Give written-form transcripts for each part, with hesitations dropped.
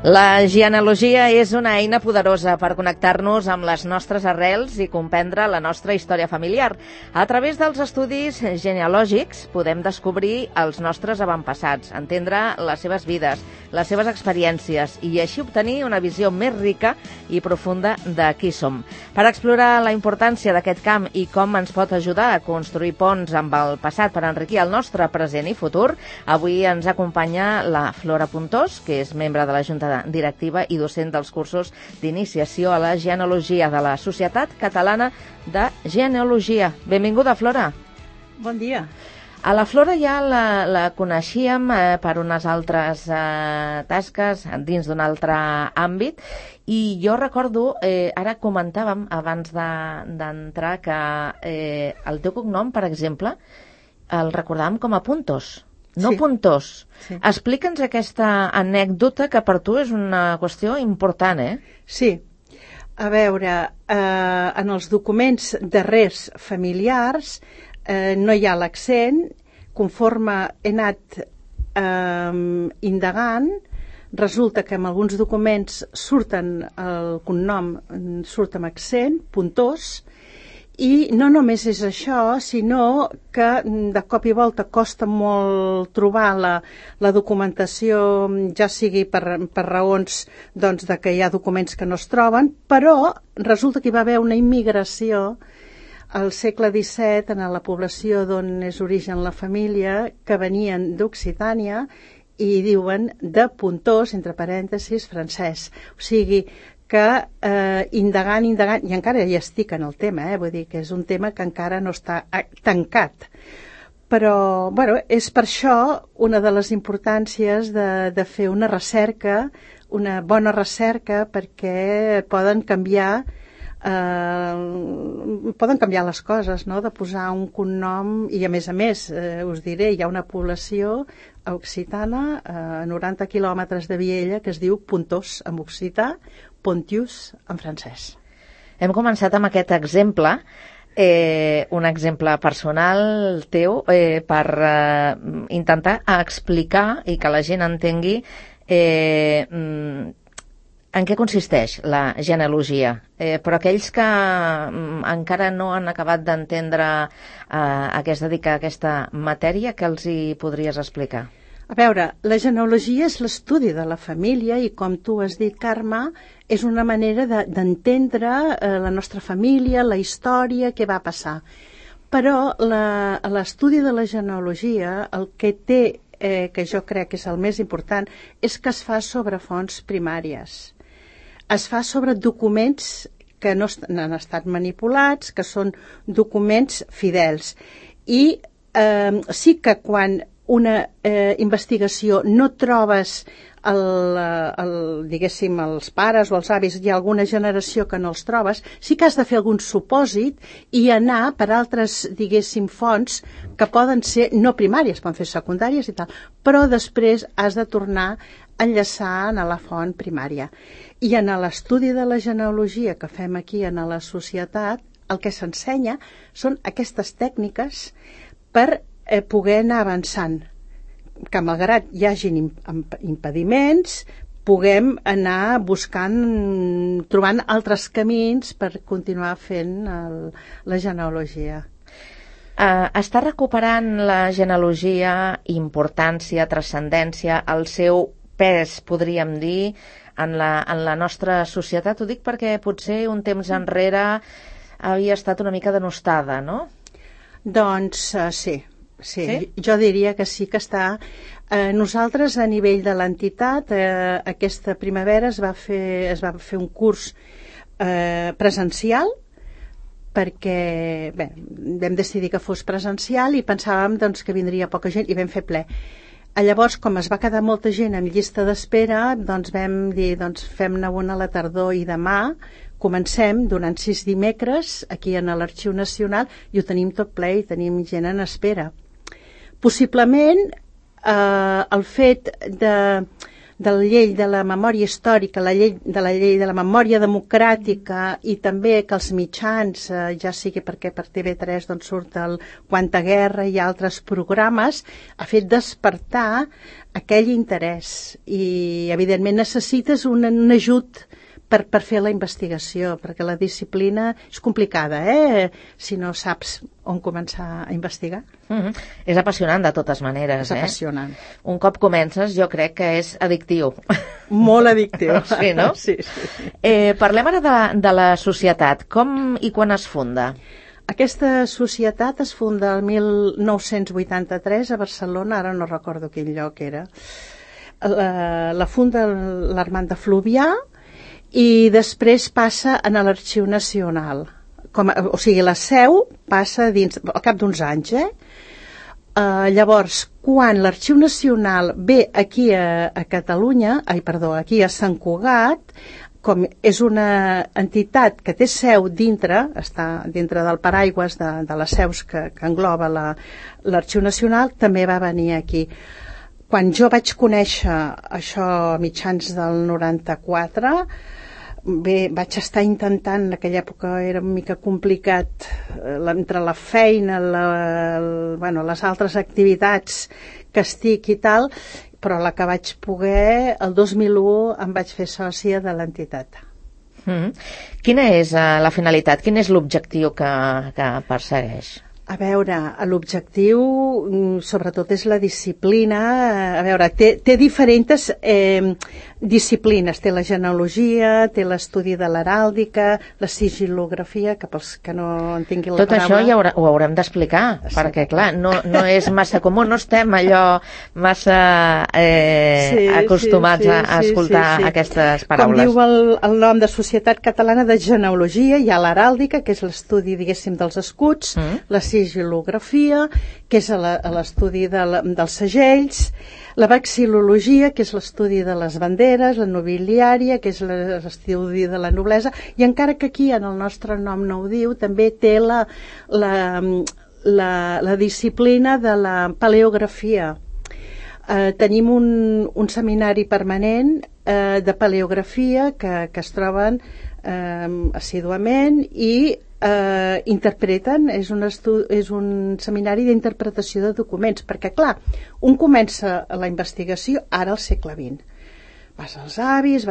La genealogia és una eina poderosa per connectar-nos amb les nostres arrels i comprendre la nostra història familiar. A través dels estudis genealògics podem descobrir els nostres avantpassats, entendre les seves vides, les seves experiències i així obtenir una visió més rica i profunda de qui som. Per explorar la importància d'aquest camp i com ens pot ajudar a construir ponts amb el passat per enriquir el nostre present i futur, avui ens acompanya la Flora Puntós, que és membre de la Junta directiva i docent dels cursos d'iniciació a la genealogia de la Societat Catalana de Genealogia. Benvinguda, Flora. Bon dia. A la Flora ja la coneixíem per unes altres tasques dins d'un altre àmbit i jo recordo, ara comentàvem abans d'entrar que el teu cognom, per exemple, el recordàvem com a Puntós. No, sí. Puntós. Sí. Explica'ns aquesta anècdota que per tu és una qüestió important, Sí. A veure, en els documents darrers familiars no hi ha l'accent. Conforme he anat indagant, resulta que en alguns documents surten el cognom, surt amb accent, Puntós, i no només és això, sinó que de cop i volta costa molt trobar la documentació, ja sigui per raons doncs, de que hi ha documents que no es troben, però resulta que hi va haver una immigració al segle XVII en la població d'on és origen la família, que venien d'Occitània i diuen de Puntós, entre parèntesis, francès. O sigui que indagant, i encara hi estic en el tema, vull dir que és un tema que encara no està tancat. Però, bueno, és per això una de les importàncies de fer una recerca, una bona recerca, perquè poden canviar les coses, no? De posar un cognom, i a més, us diré, hi ha una població occitana a 90 quilòmetres de Viella que es diu Puntós en occità, Pontius en francès. Hem començat amb aquest exemple, un exemple personal teu, per intentar explicar i que la gent entengui en què consisteix la genealogia. Però aquells que encara no han acabat d'entendre a què es dedica aquesta matèria, què els hi podries explicar? A veure, la genealogia és l'estudi de la família i, com tu has dit, Carme, és una manera d'entendre la nostra família, la història, què va passar. Però l'estudi de la genealogia, el que té, que jo crec que és el més important, és que es fa sobre fonts primàries. Es fa sobre documents que no han estat manipulats, que són documents fidels. I sí que quan una investigació no trobes diguéssim, els pares o els avis, hi ha alguna generació que no els trobes, sí que has de fer algun supòsit i anar per altres, diguéssim, fonts que poden ser no primàries, poden fer secundàries i tal, però després has de tornar a enllaçar a la font primària. I en l'estudi de la genealogia que fem aquí en la societat, el que s'ensenya són aquestes tècniques per poder anar avançant, que malgrat hi hagin impediments, puguem anar trobant altres camins per continuar fent la genealogia. Està recuperant la genealogia importància, transcendència, el seu pes, podríem dir, en la nostra societat? Ho dic perquè potser un temps enrere havia estat una mica denostada, no? Doncs sí. Sí, jo diria que sí que està. Nosaltres, a nivell de l'entitat, aquesta primavera es va fer un curs presencial, perquè vam decidir que fos presencial i pensàvem doncs, que vindria poca gent i vam fer ple. Llavors, com es va quedar molta gent en llista d'espera, doncs vam dir, fem-ne una a la tardor i demà comencem durant 6 dimecres aquí en l'Arxiu Nacional i ho tenim tot ple i tenim gent en espera. Possiblement el fet de la llei de la memòria històrica, la llei de la memòria democràtica, i també que els mitjans, ja sigui perquè per TV3 doncs, surt el Quanta Guerra i altres programes, ha fet despertar aquell interès, i evidentment necessites un ajut per fer la investigació, perquè la disciplina és complicada, si no saps on començar a investigar. És apassionant de totes maneres. És apassionant. Un cop comences jo crec que és addictiu. Molt addictiu. Sí, no? Sí. Parlem ara de la societat. Com i quan es funda? Aquesta societat es funda el 1983 a Barcelona, ara no recordo quin lloc era. La funda l'Armand de Fluvià, i després passa a l'Arxiu Nacional. O sigui, la seu passa al cap d'uns anys. Llavors, quan l'Arxiu Nacional ve aquí a Catalunya, aquí a Sant Cugat, com és una entitat que té seu dintre, està dintre del paraigües de les seus que engloba l'Arxiu Nacional, també va venir aquí. Quan jo vaig conèixer això a mitjans del 94, vaig estar intentant, en aquella època era una mica complicat, entre la feina, les altres activitats que estic i tal, però la que vaig poder, el 2001 em vaig fer sòcia de l'entitat. Quina és la finalitat? Quin és l'objectiu que persegueix? A veure, l'objectiu sobretot és la disciplina. A veure, té diferents disciplines. Té la genealogia, té l'estudi de l'heràldica, la sigil·lografia, que pels que no entenguin la paraula... Tot això ja ho haurem d'explicar, perquè clar, no és massa comú, no estem allò massa acostumats a escoltar aquestes paraules. Com diu el nom de Societat Catalana de Genealogia, hi ha l'heràldica, que és l'estudi, diguéssim, dels escuts, la sigil·lografia, que és l'estudi dels segells, la vexil·lologia, que és l'estudi de les banderes, la nobiliària, que és l'estudi de la noblesa, i encara que aquí en el nostre nom no ho diu, també té la disciplina de la paleografia. Tenim un seminari permanent de paleografia que es troben assíduament i interpreten, és un seminari d'interpretació de documents, perquè clar, un comença la investigació ara al segle XX. Vas als avis,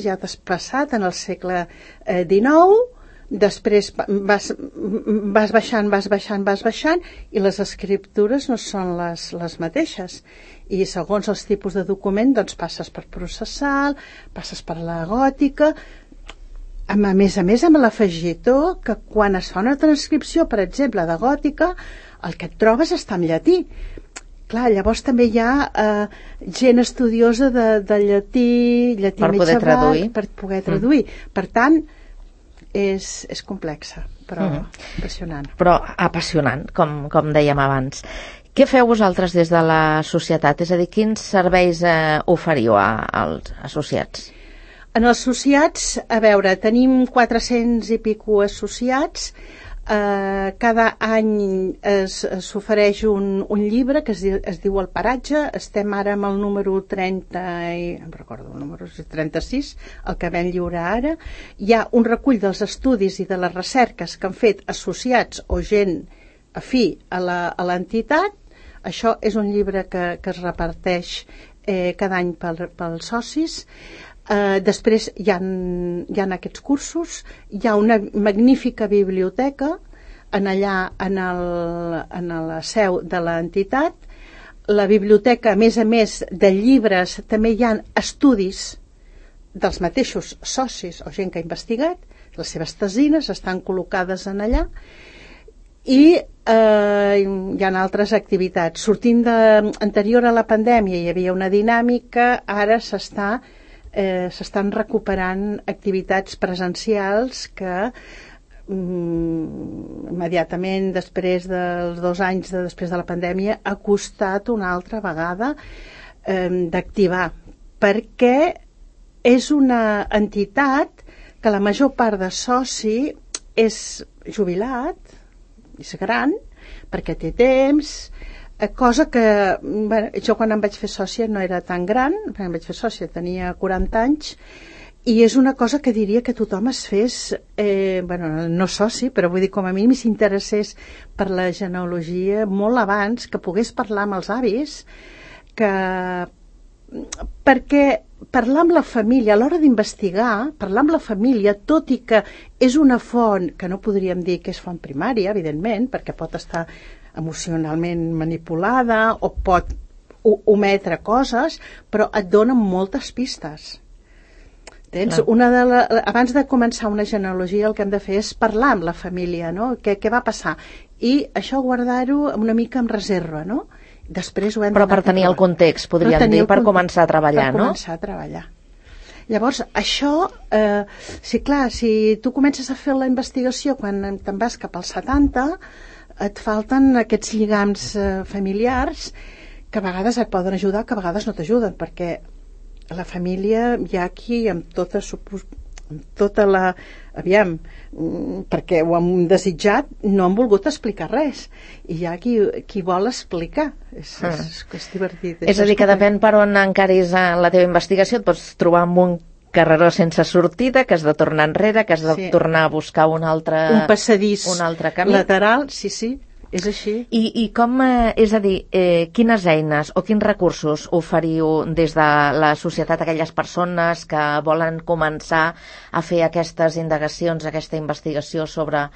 ja t'has passat en el segle XIX, després vas baixant i les escriptures no són les mateixes, i segons els tipus de document doncs passes per processal, passes per la gòtica. A més amb l'afegitó que quan es fa una transcripció, per exemple, de gòtica, el que et trobes està en llatí. Clar, llavors també hi ha gent estudiosa de llatí per poder traduir. Per poder traduir. Per tant, és complexa, però apassionant. Però apassionant, com dèiem abans. Què feu vosaltres des de la societat? És a dir, quins serveis oferiu als associats? En els associats, a veure, tenim 400 i pico associats. Cada any s'ofereix un llibre que es diu El Paratge. Estem ara amb el número 30, em recordo el número 36, el que vam lliurar ara. Hi ha un recull dels estudis i de les recerques que han fet associats o gent afí a l'entitat. Això és un llibre que es reparteix cada any pels socis. Després hi ha aquests cursos, hi ha una magnífica biblioteca en la seu de l'entitat. La biblioteca, a més de llibres, també hi ha estudis dels mateixos socis o gent que ha investigat, les seves tesines estan col·locades en allà, i hi ha altres activitats. Sortint anterior a la pandèmia hi havia una dinàmica, ara s'estan recuperant activitats presencials que immediatament després dels 2 anys després de la pandèmia ha costat una altra vegada d'activar, perquè és una entitat que la major part de soci és jubilat, és gran, perquè té temps, Cosa que, bueno, jo quan em vaig fer sòcia no era tan gran, quan em vaig fer sòcia tenia 40 anys, i és una cosa que diria que tothom es fes, bueno, no soci, però vull dir, com a mínim s'interessés per la genealogia molt abans, que pogués parlar amb els avis, perquè parlar amb la família, a l'hora d'investigar, parlar amb la família, tot i que és una font que no podríem dir que és font primària, evidentment, perquè pot estar emocionalment manipulada o pot ometre coses, però et dona moltes pistes. Tens abans de començar una genealogia el que hem de fer és parlar amb la família, no? Què va passar? I això guardar-ho una mica amb reserva, no? Després ho hem però per tenir el context, podríem dir, per començar a treballar, no? Per començar a treballar. Llavors, això, sí, clar, si tu comences a fer la investigació quan te'n vas cap als 70, et falten aquests lligams familiars que a vegades et poden ajudar, que a vegades no t'ajuden, perquè la família hi ha aquí amb tota la... Aviam, perquè ho hem desitjat, no han volgut explicar res. I hi ha qui vol explicar. És divertit. És a dir, que depèn per on encaris la teva investigació, et pots trobar amb un carreró sense sortida, que has de tornar enrere, que has de tornar a buscar un passadís camí lateral, sí, és així. I com, és a dir, quines eines o quins recursos oferiu des de la societat a aquelles persones que volen començar a fer aquestes indagacions, aquesta investigació sobre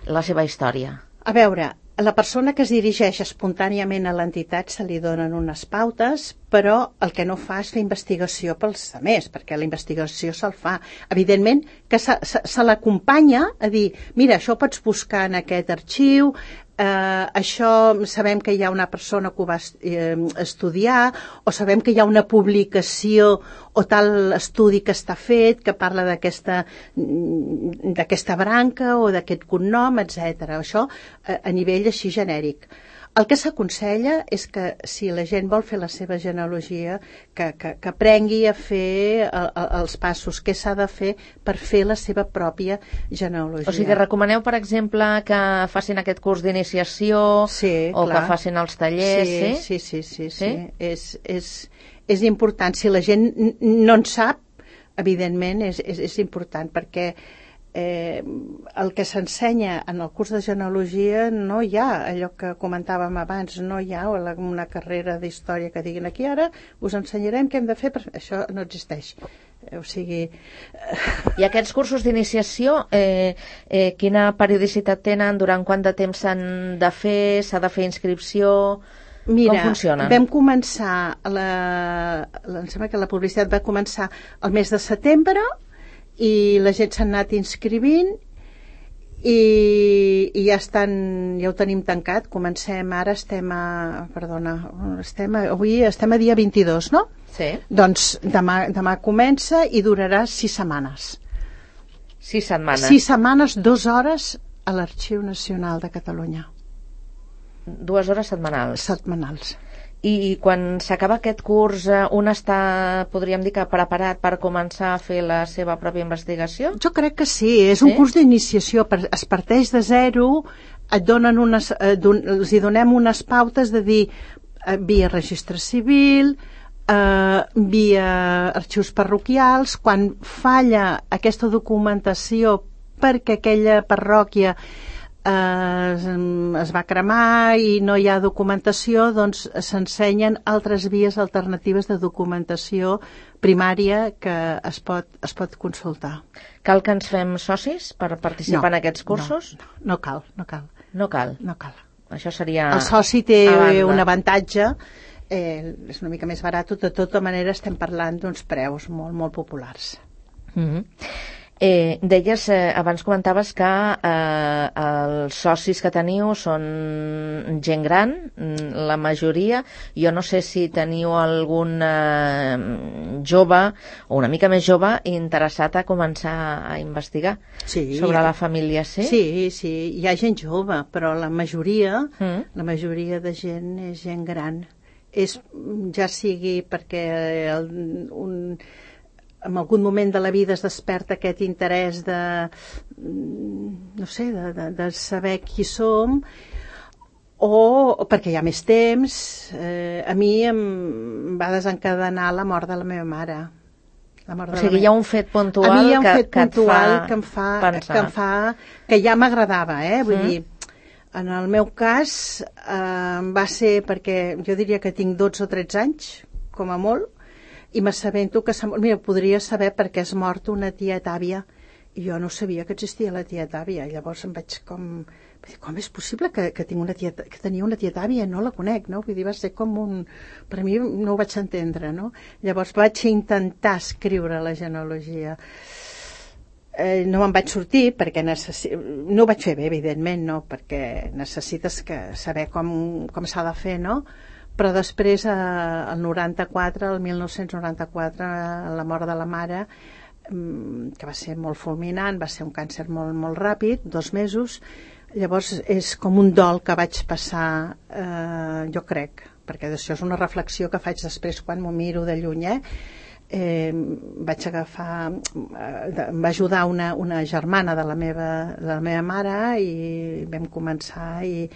la seva història? A veure, a la persona que es dirigeix espontàniament a l'entitat se li donen unes pautes, però el que no fa és fer investigació pels altres, perquè la investigació se'l fa. Evidentment que se l'acompanya a dir, mira, això ho pots buscar en aquest arxiu, això sabem que hi ha una persona que ho va estudiar, o sabem que hi ha una publicació o tal estudi que està fet que parla d'aquesta branca o d'aquest cognom, etc. Això a nivell així genèric. El que s'aconsella és que si la gent vol fer la seva genealogia, que aprengui a fer els passos, què s'ha de fer per fer la seva pròpia genealogia. O sigui, recomaneu, per exemple, que facin aquest curs d'iniciació o que facin els tallers? Sí. És important. Si la gent no en sap, evidentment és important, perquè el que s'ensenya en el curs de genealogia no hi ha allò que comentàvem abans, no hi ha una carrera d'història que diguin aquí ara us ensenyarem què hem de fer, això no existeix. O sigui... I aquests cursos d'iniciació quina periodicitat tenen? Durant quant de temps s'han de fer? S'ha de fer inscripció? Mira, com funcionen? Vam començar em sembla que la publicitat va començar el mes de setembre i la gent s'ha anat inscrivint i ja ho tenim tancat. Comencem ara, avui estem a dia 22, no? Sí. Doncs demà comença i durarà 6 setmanes. 6 setmanes? 6 setmanes, 2 hores a l'Arxiu Nacional de Catalunya. 2 hores setmanals? Setmanals. I quan s'acaba aquest curs, un està, podríem dir, que preparat per començar a fer la seva pròpia investigació? Jo crec que sí, és un curs d'iniciació, es parteix de zero, els hi donem unes pautes de dir via registre civil, via arxius parroquials, quan falla aquesta documentació perquè aquella parròquia es va cremar i no hi ha documentació, doncs s'ensenyen altres vies alternatives de documentació primària que es pot consultar. Cal que ens fem socis per participar en aquests cursos? No cal. No cal? No cal. Això seria... El soci té un avantatge, és una mica més barat, de tota manera estem parlant d'uns preus molt, molt populars. Deies, abans comentaves que els socis que teniu són gent gran, la majoria. Jo no sé si teniu algun jove o una mica més jove interessat a començar a investigar sobre la família. Sí, hi ha gent jove, però la majoria de gent és gent gran. Ja sigui perquè en algun moment de la vida es desperta aquest interès de saber qui som, o perquè hi ha més temps. A mi em va desencadenar la mort de la meva mare. O sigui, hi ha un fet puntual a mi hi ha un fet que puntual et fa pensar. que ja m'agradava, vull dir, en el meu cas va ser perquè jo diria que tinc 12 o 13 anys, com a molt, i m'assabento que mira, podria saber per què és mort una tieta àvia, i jo no sabia que existia la tieta àvia. Llavors em vaig com és possible que tenia una tieta àvia? No la conec, no? Vull dir, va ser com per mi no ho vaig entendre, no? Llavors vaig intentar escriure la genealogia. No me'n vaig sortir perquè no ho vaig fer bé, evidentment, no? Perquè necessites saber com s'ha de fer, no? Però després, el 1994, la mort de la mare, que va ser molt fulminant, va ser un càncer molt, molt ràpid, 2 mesos. Llavors és com un dol que vaig passar, jo crec, perquè això és una reflexió que faig després quan m'ho miro de lluny, vaig agafar, em va ajudar una germana de la meva mare i vam començar i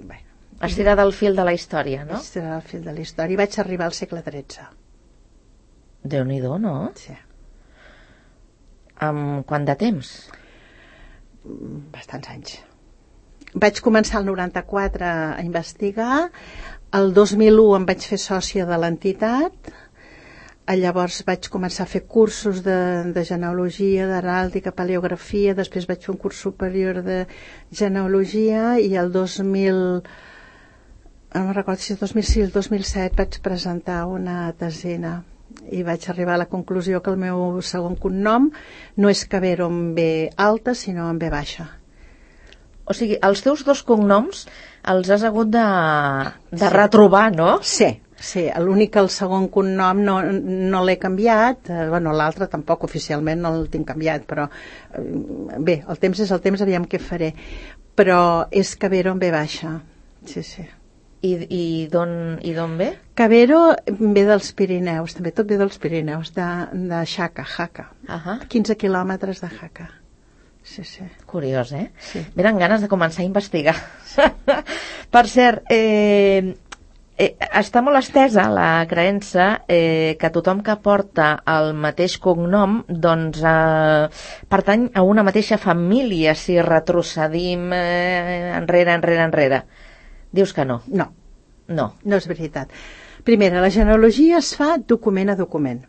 bé. Estirar del fil de la història, no? Estirar del fil de la història. I vaig arribar al segle XIII. Déu-n'hi-do, no? Sí. Amb quant de temps? Bastants anys. Vaig començar el 94 a investigar, el 2001 em vaig fer sòcia de l'entitat, llavors vaig començar a fer cursos de genealogia, d'heràldica, paleografia, després vaig fer un curs superior de genealogia i el 2000, no me'n recordo si el 2006 o el 2007 vaig presentar una tesina i vaig arribar a la conclusió que el meu segon cognom no és Cabero amb B alta, sinó amb B baixa. O sigui, els teus 2 cognoms els has hagut de retrobar, no? Sí, l'únic que el segon cognom no l'he canviat, l'altre tampoc oficialment no el tinc canviat, però bé, el temps és el temps, aviam què faré. Però és Cabero amb B baixa, sí. I d'on ve? Cabero ve dels Pirineus, també tot ve dels Pirineus, de Jaca. 15 quilòmetres de Jaca. Sí. Curiós, Sí. Venen ganes de començar a investigar. Per cert, està molt estesa la creença que tothom que porta el mateix cognom doncs pertany a una mateixa família si retrocedim enrere. Dius que no. No. No és veritat. Primera, la genealogia es fa document a document.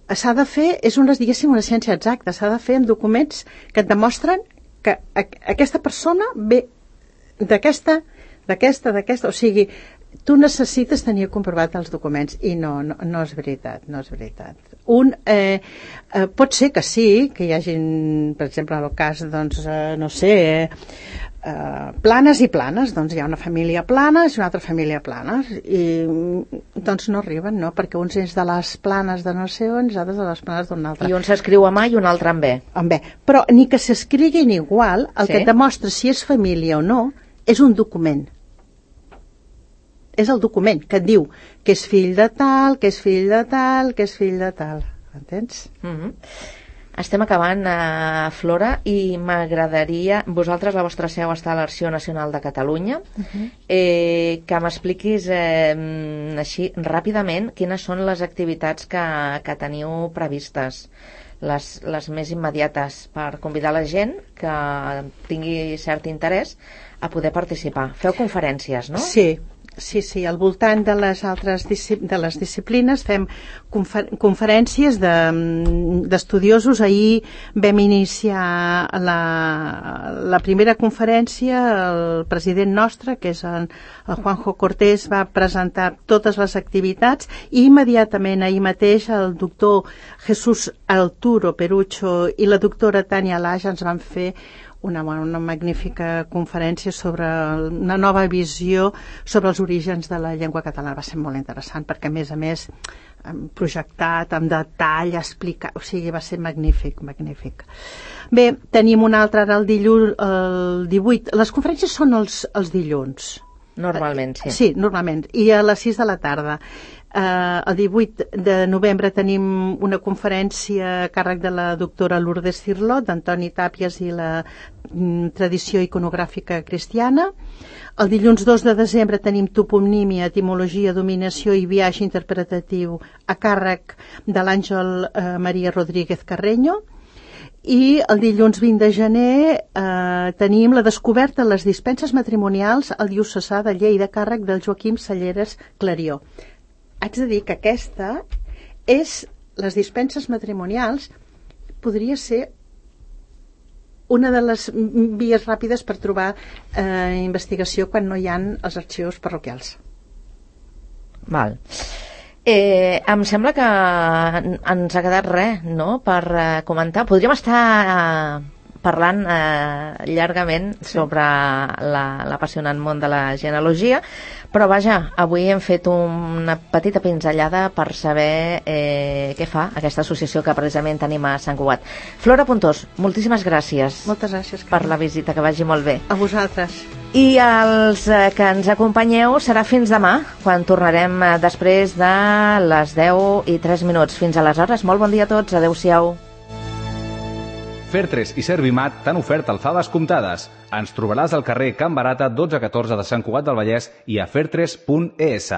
S'ha de fer, és una ciència exacta, s'ha de fer amb documents que et demostren que aquesta persona ve d'aquesta, o sigui, tu necessites tenir comprovat els documents i no és veritat, pot ser que sí, que hi hagi, per exemple, en el cas, doncs, no sé, Planes i Planes, doncs hi ha una família Planes i una altra família Planes i doncs no arriben, no? Perquè uns és de les Planes de no sé on, altres de les Planes d'un altre. I un s'escriu amb A i un altre amb B. Amb B, però ni que s'escriguin igual, el que demostra si és família o no és un document. És el document que et diu que és fill de tal, que és fill de tal, que és fill de tal. Entens? Estem acabant, Flora, i m'agradaria... Vosaltres, la vostra seu està a l'Arxiu Nacional de Catalunya. Que m'expliquis així ràpidament quines són les activitats que teniu previstes, les més immediates, per convidar la gent que tingui cert interès a poder participar. Feu conferències, no? Sí, al voltant de les altres disciplines fem conferències d'estudiosos. Ahir vam iniciar la primera conferència, el president nostre, que és el Juanjo Cortés, va presentar totes les activitats i immediatament ahir mateix el doctor Jesús Arturo Perucho i la doctora Tània Laja ens van fer una magnífica conferència sobre una nova visió sobre els orígens de la llengua catalana. Va ser molt interessant perquè, a més, projectat, amb detall, explicat, o sigui, va ser magnífic. Bé, tenim un altre ara el dilluns, el 18. Les conferències són els dilluns. Normalment, sí. Sí, normalment. I a les 6 de la tarda. El 18 de novembre tenim una conferència a càrrec de la doctora Lourdes Cirlot, d'Antoni Tàpies i la tradició iconogràfica cristiana. El dilluns 2 de desembre tenim toponímia, etimologia, dominació i viatge interpretatiu a càrrec de l'Àngel Maria Rodríguez Carreño. I el dilluns 20 de gener tenim la descoberta de les dispenses matrimonials al diocesà de Lleida a càrrec del Joaquim Salleres Clarió. Haig de dir que aquesta és, les dispenses matrimonials, podria ser una de les vies ràpides per trobar investigació quan no hi ha els arxius parroquials. Val. Em sembla que ens ha quedat res, no?, per comentar. Podríem estar parlant llargament sobre l'apassionant món de la genealogia, però vaja, avui hem fet una petita pinzellada per saber què fa aquesta associació que precisament tenim a Sant Cugat. Flora Pontós, moltíssimes gràcies. Moltes gràcies, per la visita, que vagi molt bé. A vosaltres. I els que ens acompanyeu serà fins demà, quan tornarem després de les 10:03. Fins aleshores, molt bon dia a tots, adeu-siau. Fer3 i Servimat t'han ofert alfabes comptades. Ens trobaràs al carrer Can Barata 1214 de Sant Cugat del Vallès i a fer3.es.